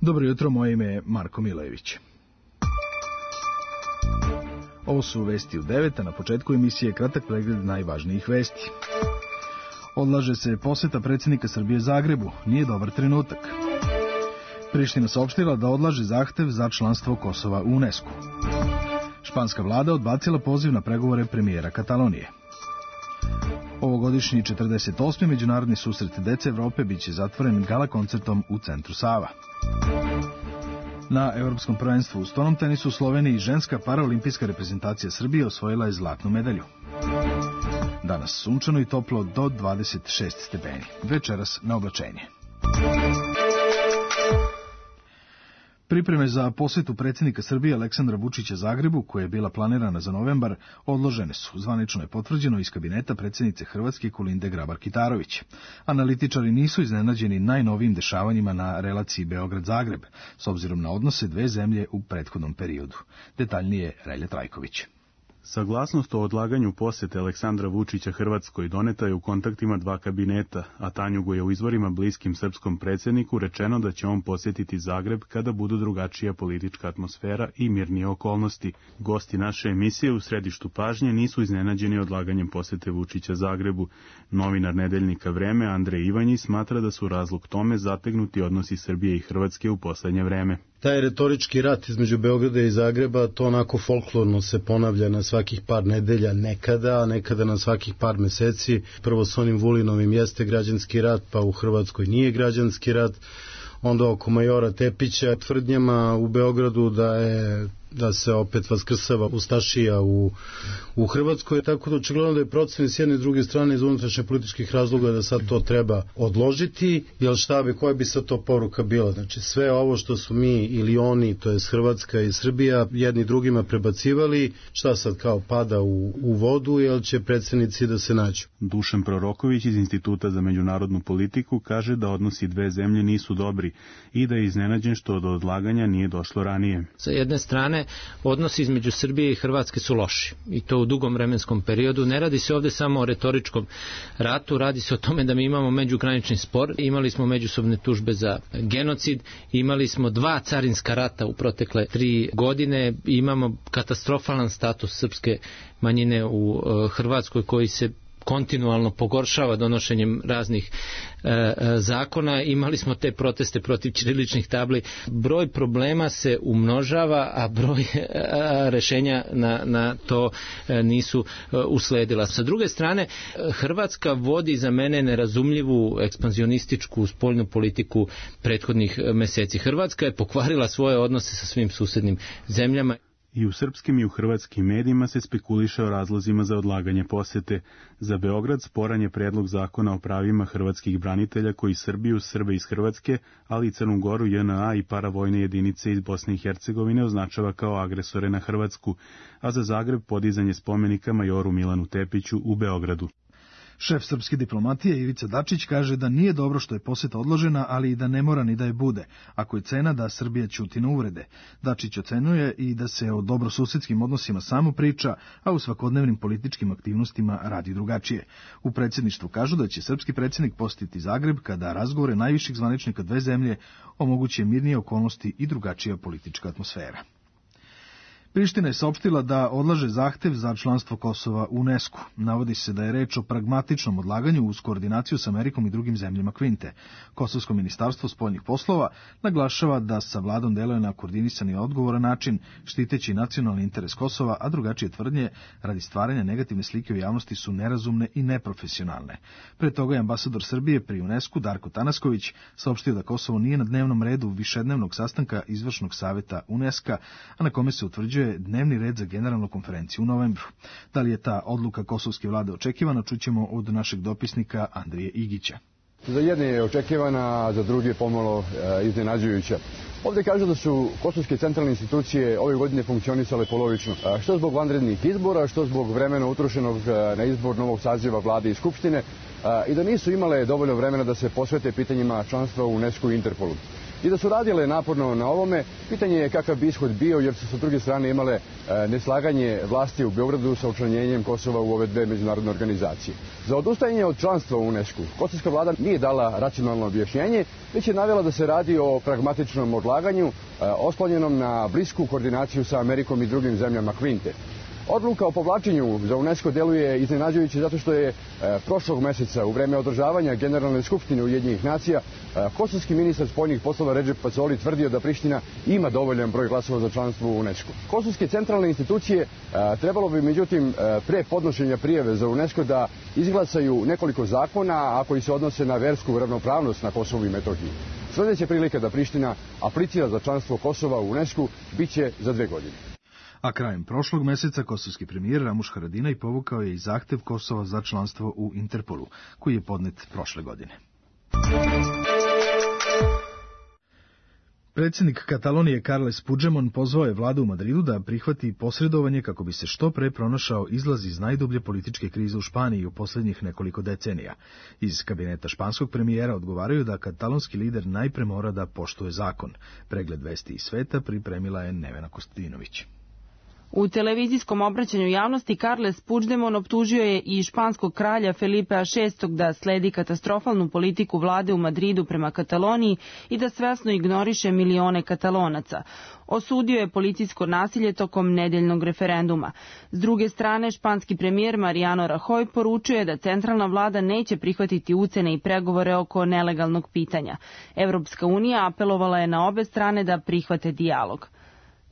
Dobro jutro, moje ime je Marko Milević. Ovo su vesti u 9, a na početku emisije kratak pregled najvažnijih vesti. Odlaže se poseta predsjednika Srbije Zagrebu, nije dobar trenutak. Priština saopštila da odlaže zahtev za članstvo Kosova u UNESCO. Španska vlada odbacila poziv na pregovore premijera Katalonije. Ovogodišnji 48. međunarodni susret dece Evrope biće zatvoren gala koncertom u centru Sava. Na Evropskom prvenstvu u stonom tenisu u Sloveniji ženska paraolimpijska reprezentacija Srbije osvojila je zlatnu medalju. Danas sunčano i toplo do 26 stepeni. Večeras na oblačenje. Pripreme za posjetu predsjednika Srbije Aleksandra Vučića Zagrebu, koja je bila planirana za novembar, odložene su. Zvanično je potvrđeno iz kabineta predsjednice Hrvatske Kolinde Grabar-Kitarović. Analitičari nisu iznenađeni najnovijim dešavanjima na relaciji Beograd-Zagreb, s obzirom na odnose dve zemlje u prethodnom periodu. Detaljnije Relja Trajković. Saglasnost o odlaganju posjete Aleksandra Vučića Hrvatskoj doneta je u kontaktima dva kabineta, a Tanjugu je u izvorima bliskim srpskom predsjedniku rečeno da će on posjetiti Zagreb kada budu drugačija politička atmosfera i mirnije okolnosti. Gosti naše emisije u središtu pažnje nisu iznenađeni odlaganjem posjete Vučića Zagrebu. Novinar nedeljnika Vreme Andrej Ivanjić smatra da su razlog tome zategnuti odnosi Srbije i Hrvatske u poslednje vreme. Taj retorički rat između Beograda i Zagreba, to onako folklorno se ponavlja na svakih par nedelja nekada, a nekada na svakih par meseci. Prvo s onim Vulinovim jeste građanski rat, pa u Hrvatskoj nije građanski rat. Onda oko majora Tepića tvrdnjama u Beogradu da se opet vaskrsava ustašija u Hrvatskoj, tako da očigledno da je procen s jedne i druge strane iz unutrašnje političkih razloga da sad to treba odložiti, jer šta bi, koja bi sad to poruka bila? Znači sve ovo što su mi ili oni, to je Hrvatska i Srbija, jedni drugima prebacivali, šta sad kao pada u vodu, jer će predsjednici da se nađu? Dušan Proroković iz Instituta za međunarodnu politiku kaže da odnosi dve zemlje nisu dobri i da je iznenađen što do odlaganja nije došlo ranije. Sa jedne strane, odnosi između Srbije i Hrvatske su loši i to u dugom vremenskom periodu. Ne radi se ovde samo o retoričkom ratu, radi se o tome da mi imamo međugranični spor, imali smo međusobne tužbe za genocid, imali smo 2 carinska rata u protekle 3 godine, imamo katastrofalan status srpske manjine u Hrvatskoj koji se kontinualno pogoršava donošenjem raznih zakona. Imali smo te proteste protiv ćiriličnih tabli. Broj problema se umnožava, a broj rešenja na to nisu usledila. Sa druge strane, Hrvatska vodi za mene nerazumljivu ekspanzionističku spoljnu politiku prethodnih meseci. Hrvatska je pokvarila svoje odnose sa svim susednim zemljama. I u srpskim i u hrvatskim medijima se spekuliše o razlozima za odlaganje posjete. Za Beograd sporan je predlog zakona o pravima hrvatskih branitelja koji Srbiju, Srbe iz Hrvatske, ali i Crnu Goru, JNA i paravojne jedinice iz Bosne i Hercegovine označava kao agresore na Hrvatsku, a za Zagreb podizanje spomenika majoru Milanu Tepiću u Beogradu. Šef srpske diplomatije Ivica Dačić kaže da nije dobro što je posjeta odložena, ali i da ne mora ni da je bude, ako je cena da Srbija ćuti na uvrede. Dačić ocenjuje i da se o dobrosusedskim odnosima samo priča, a u svakodnevnim političkim aktivnostima radi drugačije. U predsjedništvu kažu da će srpski predsjednik posjetiti Zagreb kada razgovore najviših zvaničnika dve zemlje omoguće mirnije okolnosti i drugačija politička atmosfera. Priština je saopštila da odlaže zahtev za članstvo Kosova u UNESCO. Navodi se da je reč o pragmatičnom odlaganju uz koordinaciju s Amerikom i drugim zemljama Kvinte. Kosovsko ministarstvo spoljnih poslova naglašava da sa vladom deluje na koordinisani i odgovoran način, štiteći nacionalni interes Kosova, a drugačije tvrdnje radi stvaranja negativne slike u javnosti su nerazumne i neprofesionalne. Pre toga je ambasador Srbije pri UNESCO Darko Tanasković saopštio da Kosovo nije na dnevnom redu višednevnog sastanka izvršnog saveta UNESCO, a na kome se utvrđuje dnevni red za generalnu konferenciju u novembru. Da li je ta odluka kosovske vlade očekivana, čućemo od našeg dopisnika Andrije Igića. Za jedne je očekivana, za druge pomalo iznenađujuća. Ovdje kažu da su kosovske centralne institucije ove godine funkcionisale polovično. Što zbog vanrednih izbora, što zbog vremena utrošenog na izbor novog saziva vlade i skupštine i da nisu imale dovoljno vremena da se posvete pitanjima članstva u UNESCO i Interpolu. I da su radile naporno na ovome, pitanje je kakav bi ishod bio, jer su sa druge strane imale neslaganje vlasti u Beogradu sa učlanjenjem Kosova u ove dve međunarodne organizacije. Za odustajanje od članstva u UNESCO kosovska vlada nije dala racionalno objašnjenje, već je navela da se radi o pragmatičnom odlaganju oslonjenom na blisku koordinaciju sa Amerikom i drugim zemljama Kvinte. Odluka o povlačenju za UNESCO deluje iznenađujuće zato što je prošlog meseca u vreme održavanja Generalne skupštine Ujedinjenih nacija kosovski ministar spoljnih poslova Redžep Pacoli tvrdio da Priština ima dovoljan broj glasova za članstvo u UNESCO. Kosovske centralne institucije trebalo bi međutim pre podnošenja prijave za UNESCO da izglasaju nekoliko zakona, a koji se odnose na versku ravnopravnost na Kosovu i Metohiji. Sljedeća prilika da Priština aplicira za članstvo Kosova u UNESCO biće za 2 godine. A krajem prošlog meseca kosovski premijer Ramuš Haradinaj povukao je i zahtev Kosova za članstvo u Interpolu, koji je podnet prošle godine. Predsjednik Katalonije Carles Puigdemont pozvao je vladu u Madridu da prihvati posredovanje kako bi se što pre pronašao izlaz iz najdublje političke krize u Španiji u posljednjih nekoliko decenija. Iz kabineta španskog premijera odgovaraju da katalonski lider najpre mora da poštuje zakon. Pregled vesti iz sveta pripremila je Nevena Kostadinović. U televizijskom obraćanju javnosti Carles Puigdemont optužio je i španskog kralja Felipea VI da sledi katastrofalnu politiku vlade u Madridu prema Kataloniji i da svesno ignoriše milione Katalonaca. Osudio je policijsko nasilje tokom nedeljnog referenduma. S druge strane, španski premijer Mariano Rajoy poručio je da centralna vlada neće prihvatiti ucene i pregovore oko nelegalnog pitanja. Evropska unija apelovala je na obe strane da prihvate dijalog.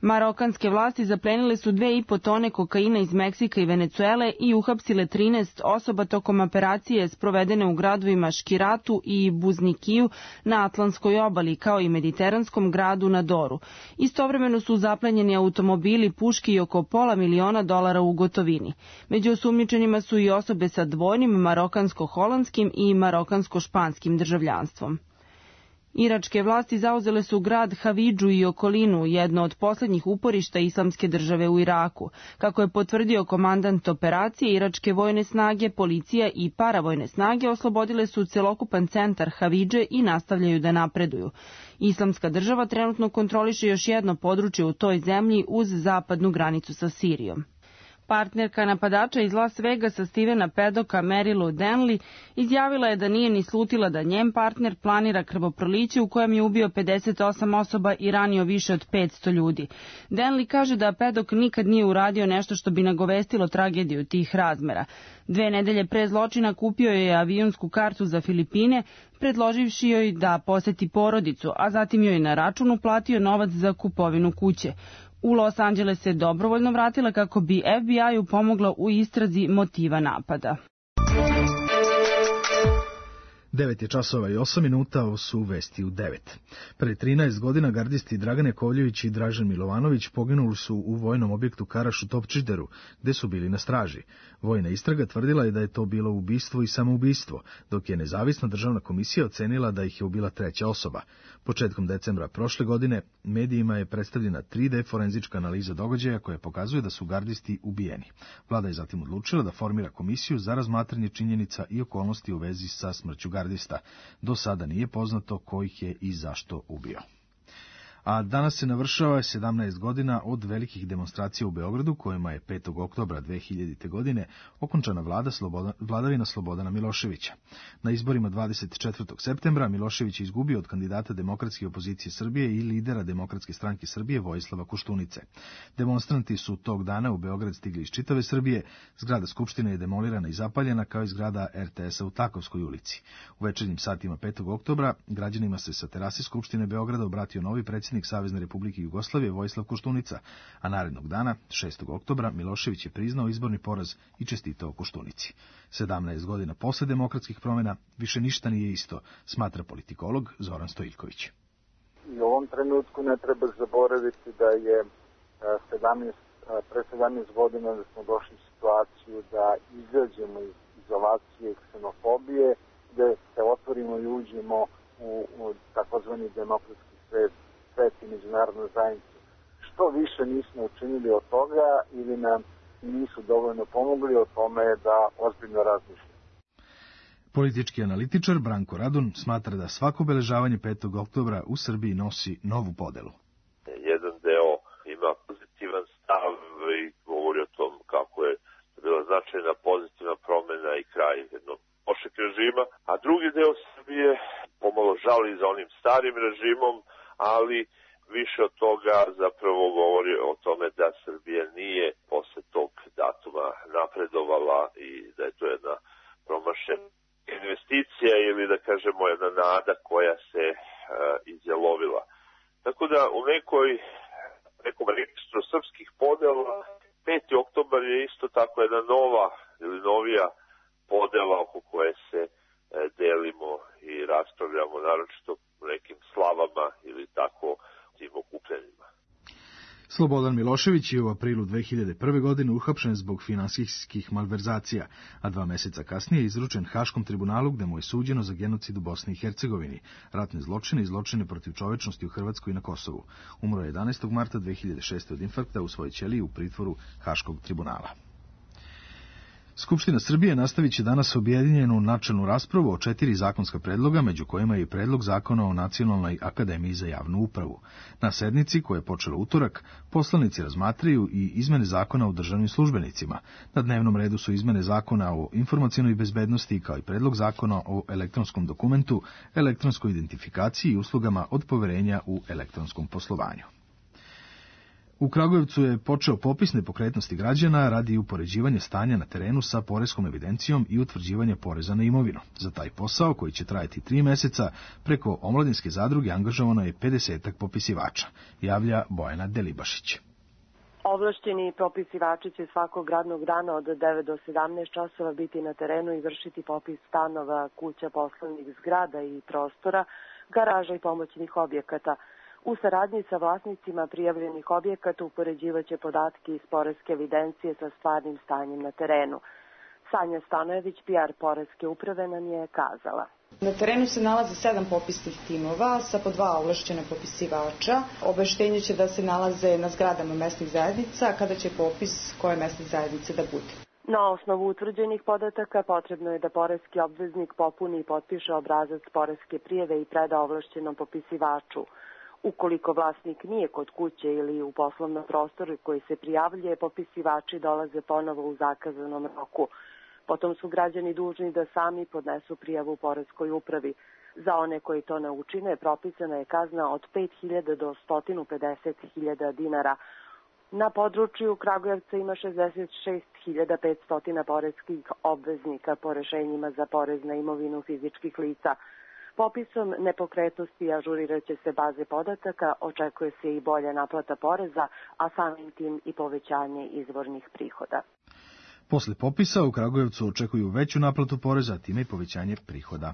Marokanske vlasti zaplenile su 2,5 tone kokaina iz Meksika i Venecuele i uhapsile 13 osoba tokom operacije sprovedene u gradovima Škiratu i Buznikiju na Atlantskoj obali, kao i mediteranskom gradu na Doru. Istovremeno su zaplenjeni automobili, puške i oko $500.000 u gotovini. Među osumnjičenima su i osobe sa dvojnim marokansko-holandskim i marokansko-španskim državljanstvom. Iračke vlasti zauzele su grad Havidžu i okolinu, jedno od posljednjih uporišta islamske države u Iraku. Kako je potvrdio komandant operacije, iračke vojne snage, policija i paravojne snage oslobodile su celokupan centar Havidže i nastavljaju da napreduju. Islamska država trenutno kontroliše još jedno područje u toj zemlji uz zapadnu granicu sa Sirijom. Partnerka napadača iz Las Vegasa Stevena Paddocka, Mary Lou Denley, izjavila je da nije ni slutila da njen partner planira krvoproliće u kojem je ubio 58 osoba i ranio više od 500 ljudi. Denley kaže da Paddock nikad nije uradio nešto što bi nagovestilo tragediju tih razmera. 2 nedelje pre zločina kupio je avionsku kartu za Filipine, predloživši joj da poseti porodicu, a zatim joj na račun uplatio novac za kupovinu kuće. U Los Angeles se dobrovoljno vratila kako bi FBI-u pomogla u istrazi motiva napada. 9:08, ovo su vesti u 9. Pre 13 godina gardisti Dragan Jakovljević i Dražen Milovanović poginuli su u vojnom objektu Karaš u Topčideru, gde su bili na straži. Vojna istraga tvrdila je da je to bilo ubistvo i samoubistvo, dok je nezavisna državna komisija ocenila da ih je ubila treća osoba. Početkom decembra prošle godine medijima je predstavljena 3D forenzička analiza događaja koja pokazuje da su gardisti ubijeni. Vlada je zatim odlučila da formira komisiju za razmatranje činjenica i okolnosti u vezi sa smrću gardista. Do sada nije poznato ko ih je i zašto ubio. A danas se navršava 17 godina od velikih demonstracija u Beogradu, kojima je 5. oktobra 2000. godine okončana vladavina Slobodana Miloševića. Na izborima 24. septembra Milošević je izgubio od kandidata Demokratske opozicije Srbije i lidera Demokratske stranke Srbije Vojislava Koštunice. Demonstranti su tog dana u Beograd stigli iz čitave Srbije, zgrada Skupštine je demolirana i zapaljena kao i zgrada RTS-a u Takovskoj ulici. U večernjim satima 5. oktobra građanima se sa terase Skupštine Beograda obratio novi predsjednik Savezne Republike Jugoslavije Vojislav Koštunica, a narednog dana, 6. oktobra, Milošević je priznao izborni poraz i čestitao Koštunici. 17 godina posle demokratskih promjena više ništa nije isto, smatra politikolog Zoran Stojiljković. I u ovom trenutku ne treba zaboraviti da je pre 17 godina da smo došli u situaciju da izađemo iz izolacije i ksenofobije, da se otvorimo i uđemo u takozvani demokratski svet i međunarodnu zajednicu. Što više nismo učinili od toga ili nam nisu dovoljno pomogli, o tome da ozbiljno razmišljamo. Politički analitičar Branko Radun smatra da svako obeležavanje 5. oktobra u Srbiji nosi novu podelu. Jedan deo ima pozitivan stav i govori o tom kako je bila značajna pozitivna promena i kraj jednog lošeg režima, a drugi deo Srbije pomalo žali za onim starim režimom, ali više od toga zapravo govori o tome da Srbija nije posle tog datuma napredovala i da je to jedna promašena investicija ili da kažemo jedna nada koja se izjalovila. Tako da u nekom registru srpskih podela 5. oktobar je isto tako jedna nova ili novija podela oko koje se delimo i raspravljamo, naročito u nekim slavama ili tako tim okupljenjima. Slobodan Milošević je u aprilu 2001. godine uhapšen zbog finansijskih malverzacija, a 2 meseca kasnije izručen Haškom tribunalu gde mu je suđeno za genocid u Bosni i Hercegovini, ratne zločine i zločine protiv čovečnosti u Hrvatskoj i na Kosovu. Umro je 11. marta 2006. od infarkta u svojoj ćeliji u pritvoru Haškog tribunala. Skupština Srbije nastavit će danas objedinjenu načelnu raspravu o 4 zakonska predloga, među kojima je i predlog zakona o Nacionalnoj akademiji za javnu upravu. Na sednici, koja je počela utorak, poslanici razmatraju i izmene zakona o državnim službenicima. Na dnevnom redu su izmene zakona o informacionoj bezbednosti, kao i predlog zakona o elektronskom dokumentu, elektronskoj identifikaciji i uslugama od poverenja u elektronskom poslovanju. U Kragujevcu je počeo popis nepokretnosti građana radi upoređivanja stanja na terenu sa poreskom evidencijom i utvrđivanja poreza na imovinu. Za taj posao, koji će trajati 3 meseca, preko omladinske zadruge angažovano je 50-ak popisivača, javlja Bojana Delibašić. Ovlašćeni popisivači će svakog radnog dana od 9 do 17 časova biti na terenu i vršiti popis stanova, kuća, poslovnih zgrada i prostora, garaža i pomoćnih objekata. U saradnji sa vlasnicima prijavljenih objekata upoređivaće podatke iz poreske evidencije sa stvarnim stanjem na terenu. Sanja Stanojević, PR Poreske uprave, nam je kazala. Na terenu se nalaze 7 popisnih timova sa po 2 ovlašćena popisivača. Obaveštenje će da se nalaze na zgradama mesnih zajednica, kada će popis koje mesne zajednice da bude. Na osnovu utvrđenih podataka potrebno je da poreski obveznik popuni i potpiše obrazac poreske prijave i preda ovlašćenom popisivaču. Ukoliko vlasnik nije kod kuće ili u poslovnom prostoru koji se prijavljuje, popisivači dolaze ponovo u zakazanom roku. Potom su građani dužni da sami podnesu prijavu Poreskoj upravi. Za one koji to ne učine, propisana je kazna od 5.000 do 150.000 dinara. Na području Kragujevca ima 66.500 poreskih obveznika po rešenjima za porez na imovinu fizičkih lica. Popisom nepokretnosti ažurirat će se baze podataka, očekuje se i bolja naplata poreza, a samim tim i povećanje izvornih prihoda. Posle popisa u Kragujevcu očekuju veću naplatu poreza, a time i povećanje prihoda.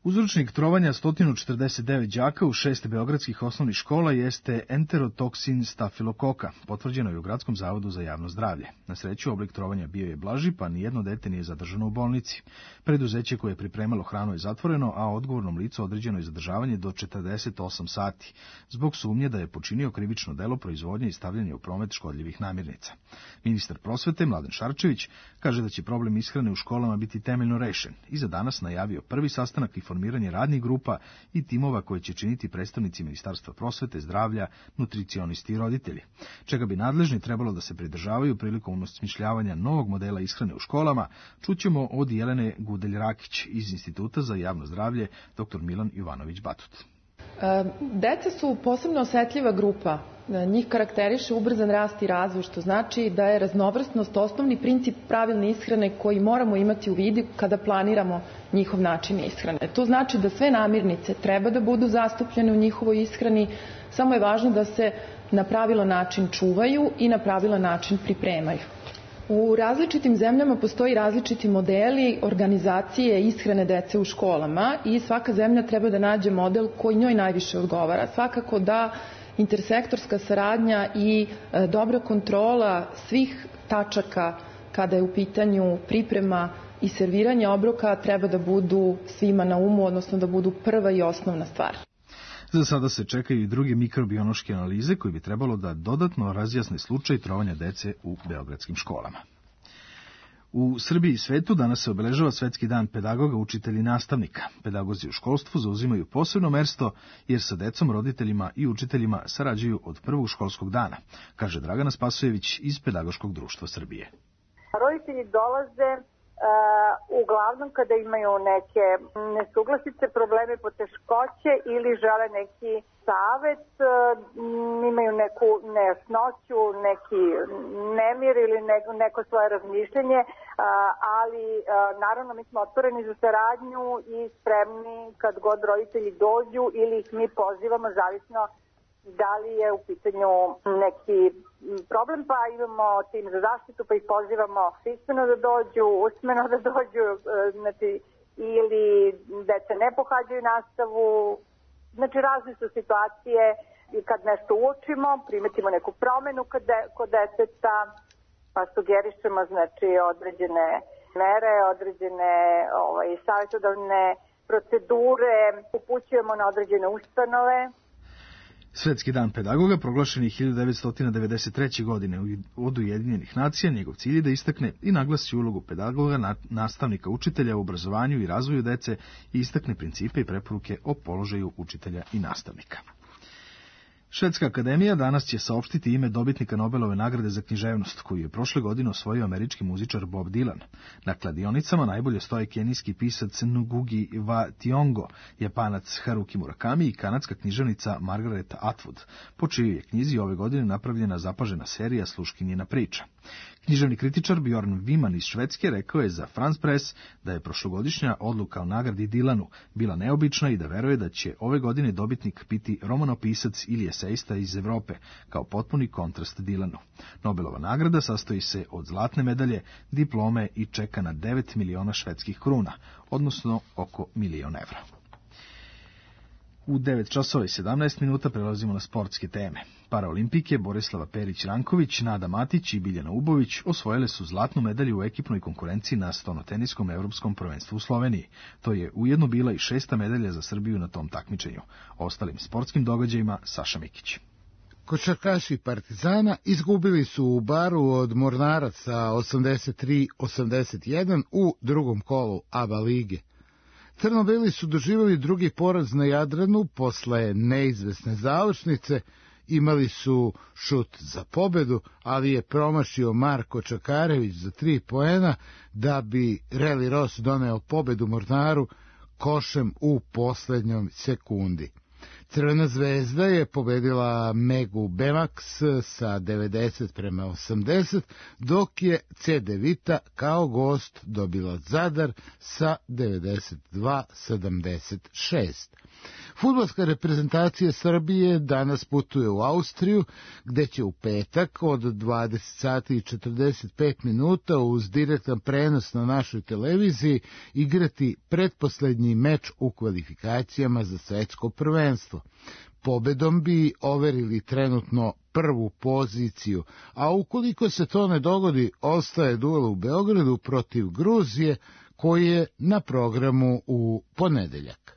Uzročnik trovanja 149 đaka u 6 beogradskih osnovnih škola jeste enterotoksin stafilokoka, potvrđeno je u Gradskom zavodu za javno zdravlje. Na sreću, oblik trovanja bio je blaži, pa nijedno dete nije zadržano u bolnici. Preduzeće koje je pripremalo hranu je zatvoreno, a odgovornom licu određeno je zadržavanje do 48 sati, zbog sumnje da je počinio krivično delo proizvodnje i stavljanja u promet škodljivih namirnica. Ministar prosvete Mladen Šarčević kaže da će problem ishrane u školama biti temeljno rešen i za danas najavio prvi sastanak i formiranje radnih grupa i timova koje će činiti predstavnici Ministarstva prosvete, zdravlja, nutricionisti i roditelji, čega bi nadležni trebalo da se pridržavaju prilikom osmišljavanja novog modela ishrane u školama, čućemo od Jelene Gudelj-Rakić iz Instituta za javno zdravlje dr. Milan Jovanović-Batut. Deca su posebno osetljiva grupa. Njih karakteriše ubrzan rast i razvoj, što znači da je raznovrsnost osnovni princip pravilne ishrane koji moramo imati u vidu kada planiramo njihov način ishrane. To znači da sve namirnice treba da budu zastupljene u njihovoj ishrani, samo je važno da se na pravilan način čuvaju i na pravilan način pripremaju. U različitim zemljama postoji različiti modeli organizacije ishrane dece u školama i svaka zemlja treba da nađe model koji njoj najviše odgovara. Svakako da intersektorska saradnja i dobra kontrola svih tačaka kada je u pitanju priprema i serviranje obroka treba da budu svima na umu, odnosno da budu prva i osnovna stvar. Za sada se čekaju i druge mikrobiološke analize koje bi trebalo da dodatno razjasne slučaj trovanja dece u beogradskim školama. U Srbiji i svetu danas se obeležava Svetski dan pedagoga, učitelja i nastavnika. Pedagozi u školstvu zauzimaju posebno mesto jer sa decom, roditeljima i učiteljima sarađuju od prvog školskog dana, kaže Dragana Spasojević iz Pedagoškog društva Srbije. Roditelji dolaze uglavnom kada imaju neke nesuglasice, probleme, poteškoće ili žele neki savet, imaju neku nejasnoću, neki nemir ili neko svoje razmišljenje, ali naravno mi smo otvoreni za saradnju i spremni kad god roditelji dođu ili ih mi pozivamo, zavisno da li je u pitanju neki problem, pa imamo tim za zaštitu, pa ih pozivamo pismeno da dođu, usmeno da dođu, znači, ili deca ne pohađaju nastavu. Znači, razne su situacije i kad nešto uočimo, primetimo neku promenu kod deteta, pa sugerišemo, znači, određene mere, određene savjetodavne procedure, upućujemo na određene ustanove. Svetski dan pedagoga proglašen je 1993. godine od Ujedinjenih nacija. Njegov cilj je da istakne i naglasi ulogu pedagoga, nastavnika, učitelja u obrazovanju i razvoju dece i istakne principe i preporuke o položaju učitelja i nastavnika. Švedska akademija danas će saopštiti ime dobitnika Nobelove nagrade za književnost, koju je prošle godine osvojio američki muzičar Bob Dylan. Na kladionicama najbolje stoje kenijski pisac Ngugi wa Thiong'o, Japanac Haruki Murakami i kanadska književnica Margaret Atwood, po čijoj je knjizi ove godine napravljena zapažena serija Sluškinjina priča. Književni kritičar Bjorn Wiman iz Švedske rekao je za France Press da je prošlogodišnja odluka o nagradi Dylanu bila neobična i da veruje da će ove godine dobitnik biti romanopisac ili esejista iz Evrope, kao potpuni kontrast Dylanu. Nobelova nagrada sastoji se od zlatne medalje, diplome i čeka na 9 miliona švedskih kruna, odnosno oko $1.000.000. U 9 časova i 17 minuta prelazimo na sportske teme. Paraolimpijke Borislava Perić-Ranković, Nada Matić i Biljana Ubović osvojile su zlatnu medalju u ekipnoj konkurenciji na stonoteniskom evropskom prvenstvu u Sloveniji. To je ujedno bila i 6. medalja za Srbiju na tom takmičenju. O ostalim sportskim događajima Saša Mikić. Košarkaši Partizana izgubili su u Baru od Mornaraca 83-81 u drugom kolu ABA lige. Crno-beli su doživjeli drugi poraz na Jadranu posle neizvesne završnice, imali su šut za pobedu, ali je promašio Marko Čakarević za 3 poena da bi Reli Ros doneo pobedu Mornaru košem u poslednjoj sekundi. Crvena zvezda je pobedila Megu Bemax sa 90-80, dok je CD Vita kao gost dobila Zadar sa 92-76. Fudbalska reprezentacija Srbije danas putuje u Austriju, gde će u petak od 20:45 uz direktan prenos na našoj televiziji igrati pretposlednji meč u kvalifikacijama za svetsko prvenstvo. Pobedom bi overili trenutno prvu poziciju, a ukoliko se to ne dogodi, ostaje duel u Beogradu protiv Gruzije, koji je na programu u ponedeljak.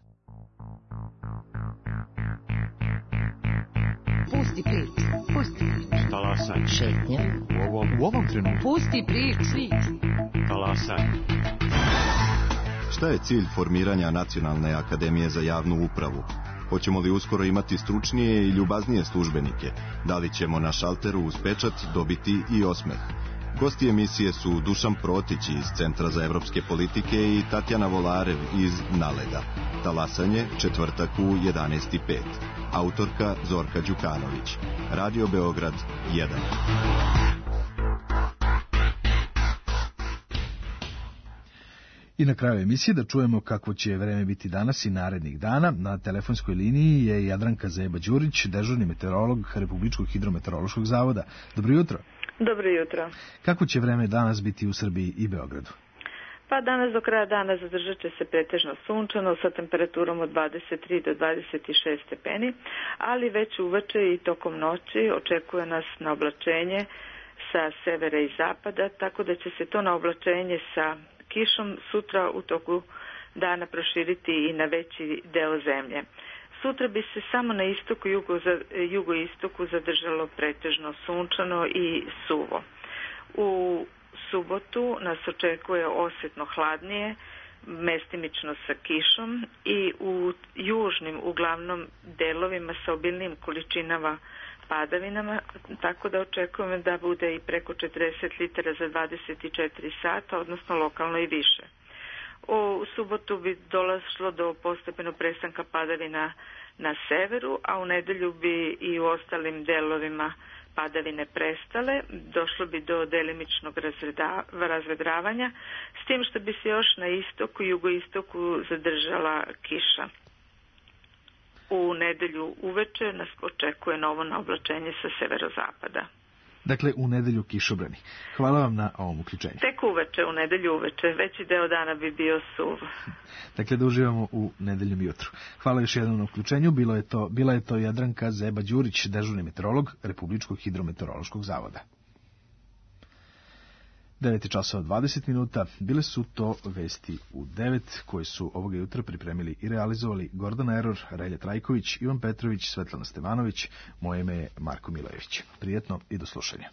Pusti priču, pusti priču. Talasaj. Šetnja. U ovom trenutku. Pusti priču. Talasaj. Šta je cilj formiranja Nacionalne akademije za javnu upravu? Hoćemo li uskoro imati stručnije i ljubaznije službenike? Da li ćemo na šalteru uz pečat dobiti i osmeh? Gosti emisije su Dušan Protić iz Centra za evropske politike i Tatjana Volarev iz Naleda. Talasanje, četvrtak u 11:05. Autorka Zorka Đukanović. Radio Beograd 1. I na kraju emisije da čujemo kako će vreme biti danas i narednih dana. Na telefonskoj liniji je Jadranka Zeba-Đurić, dežurni meteorolog Republičkog hidrometeorološkog zavoda. Dobro jutro. Dobro jutro. Kako će vreme danas biti u Srbiji i Beogradu? Pa danas do kraja dana zadržat će se pretežno sunčano sa temperaturom od 23 do 26 stepeni, ali već uveče i tokom noći očekuje nas na oblačenje sa severa i zapada, tako da će se to na oblačenje sa kišom sutra u toku dana proširiti i na veći deo zemlje. Sutra bi se samo na istoku i jugoistoku zadržalo pretežno sunčano i suvo. U subotu nas očekuje osjetno hladnije, mestimično sa kišom i u južnim uglavnom delovima sa obilnim količinama padavinama, tako da očekujemo da bude i preko 40 litara za 24 sata, odnosno lokalno i više. U subotu bi dolazilo do postepenog prestanka padavina na severu, a u nedelju bi i u ostalim delovima padavine prestale, došlo bi do delimičnog razvedravanja, s tim što bi se još na istoku i jugoistoku zadržala kiša. U nedelju uveče nas očekuje novo naoblačenje sa severozapada. Dakle, u nedelju kišobrani. Hvala vam na ovom uključenju. Tek uveče, u nedelju uveče. Veći deo dana bi bio suv. Dakle, da uživamo u nedeljom jutru. Hvala još jednom na uključenju. Bila je to Jadranka Zeba-Đurić, dežurni meteorolog Republičkog hidrometeorološkog zavoda. 9:20. Bile su to vesti u 9, koje su ovoga jutra pripremili i realizovali Gordana Eror, Relja Trajković, Ivan Petrović, Svetlana Stevanović. Moje ime je Marko Milojević. Prijetno i do slušanja.